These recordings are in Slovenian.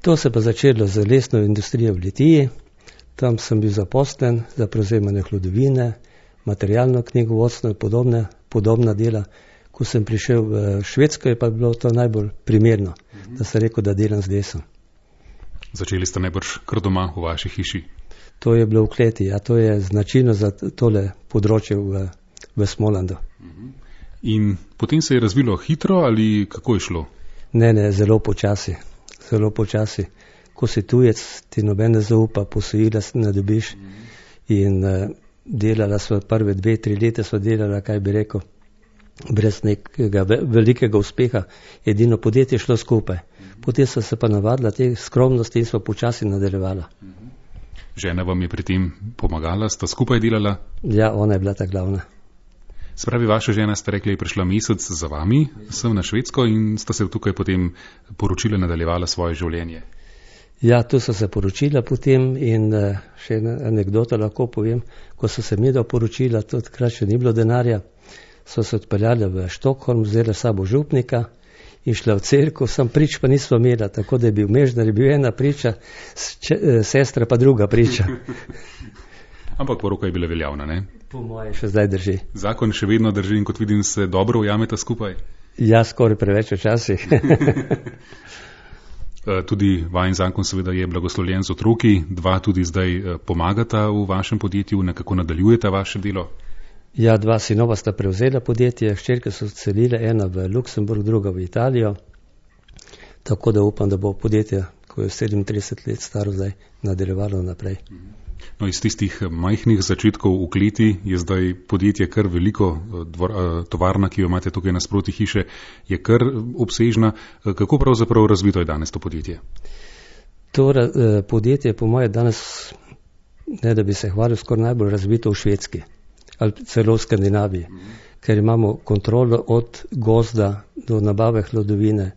To se pa začelo z lesno industrijo v Litiji. Tam sem bil zaposlen za prevzemanje hlodovine, materialno knjigovodstvo in podobna dela. Ko sem prišel v Švedsko, je pa bilo to najbolj primerno, da sem rekel, da delam z lesom. Začeli ste najbrž kar doma v vaši hiši? To je bilo v kleti, ja, to je značilno za tole področje v Smolandu. In potem se je razvilo hitro ali kako je šlo? Ne, zelo počasi. Ko si tujec, ti noben ne zaupa, posojila ne dobiš. In delala sva prve 2-3 leta, sva delala, kaj bi rekel, brez nekega velikega uspeha. Edino podjetje šlo skupaj. Potem sva se pa navadila te skromnosti in sva počasi nadaljevala. Žena vam je pri tem pomagala, sta skupaj delala? Ja, ona je bila ta glavna. Spravi, vaša žena, ste rekli, je prišla mesec za vami, sem na Švedsko in sta se tukaj potem poročila, nadaljevala svoje življenje. Ja, tu so se poročila potem in še ena anekdota lahko povem. Ko so se midva poročila, takrat še ni bilo denarja, so se odpeljali v Štokholm, vzela sabo župnika in šla v cerkev, sam prič pa nismo imela, tako da je bil mežnar, je bil ena priča, sestra pa druga priča. Ampak poroka je bila veljavna, ne? Po moje še zdaj drži. Zakon še vedno drži in kot vidim, se dobro ujameta skupaj? Ja, skoraj preveč včasih. Tudi vajen zakon seveda je blagoslovljen z otroki, 2 tudi zdaj pomagata v vašem podjetju, nekako nadaljujeta vaše delo? Ja, 2 sinova sta prevzela podjetje, hčerke so celile, ena v Luksemburg, druga v Italijo, tako da upam, da bo podjetje, ko je 37 let staro zdaj, nadaljevalo naprej. No, iz tistih majhnih začetkov v kleti je zdaj podjetje kar veliko, tovarna, ki jo imate tukaj nasproti hiše, je kar obsežna. Kako pravzaprav razvito je danes to podjetje? To podjetje je po moje danes, ne da bi se hvalil, skoraj najbolj razvito v Švedski ali celo v Skandinaviji, ker imamo kontrolo od gozda do nabave hlodovine,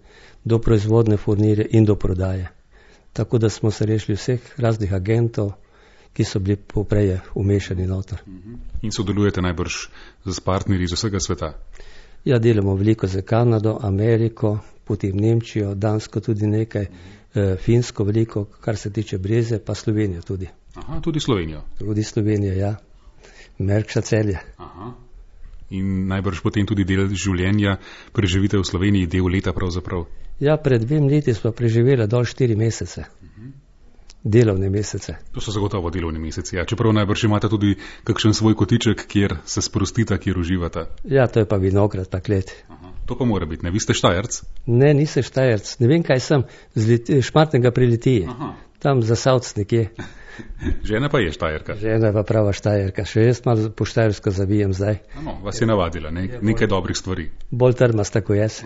do proizvodne furnirje in do prodaje. Tako da smo se rešili vseh raznih agentov, ki so bili poprej umešani noter. In sodelujete najbrž z partnerji iz vsega sveta? Ja, delamo veliko za Kanado, Ameriko, potem Nemčijo, Dansko tudi nekaj, Finsko veliko, kar se tiče breze, pa Slovenijo tudi. Aha, tudi Slovenijo? Tudi Slovenijo, ja. Merkša Celje. Aha. In najbrž potem tudi del življenja preživite v Sloveniji, del leta pravzaprav? Ja, pred 2 leti smo preživeli dol 4 mesece. Delovne mesece. To so zagotovo delovni meseci, ja. Čeprav najbrž imate tudi kakšen svoj kotiček, kjer se sprostita, kjer uživata. Ja, to je pa vinograd, pa klet. Aha. To pa mora biti, ne? Vi ste Štajerc? Ne, nisem Štajerc. Ne vem, kaj sem. Šmartnega pri Litiji. Aha. Tam za Savc nekje. Žena pa je Štajerka. Žena pa prava Štajerka. Še jaz malo po štajersko zavijem zdaj. Vas je navadila, nekaj dobrih stvari. Bolj trmasta kot jaz.